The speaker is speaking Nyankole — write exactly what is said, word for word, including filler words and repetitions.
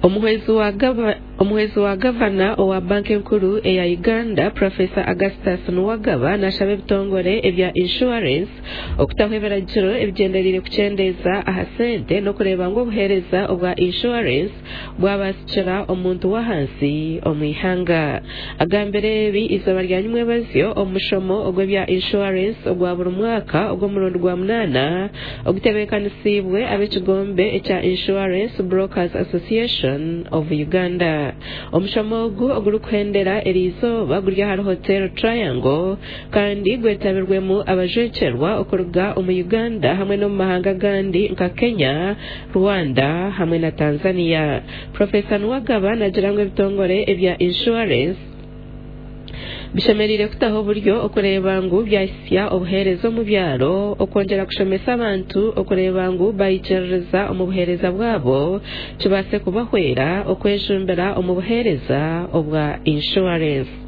Omuhwezi wa gava Omuhwezi wa gavana owa banka enkuru eya Uganda Professor Augustus Nuwagaba nashaba ebitongore ebya inshuwarensi okutaho ebiragiro ebigyendereire kukyendeeza aha sente n'okureeba ngu obuheereza obwa inshuwarensi bwabasikira omuntu w'ahansi omu ihanga. Agambire ebi eizooba rya nyimwebazyo omu mushomo ogw'ebya inshuwarensi ogwa buri mwaka ogw'omurundi gwa munaana ogutebeekanisiibwe ab'ekigombe ekya Insurance Brokers Association of Uganda. Omushomo ogu ogurikuhendera eriizooba guri ahari Hotel Triangle kandi gwetabirwemu abajwekyerwa okuruga omu Uganda hamwe n'omu mahanga agandi nka Kenya, Rwanda hamwe na Tanzania. Professor Nuwagaba nagira ngu ebitongore ebya inshuwarensi bishemereire kutaho oburyo okureeba ngu byahisya obuheereza omu byaro, okwongyera kushomesa abantu okureeba ngu baikiririza omu buheereza bwabo kibaase kubahwera okwejumbira omu buheereza obwa inshuwarensi.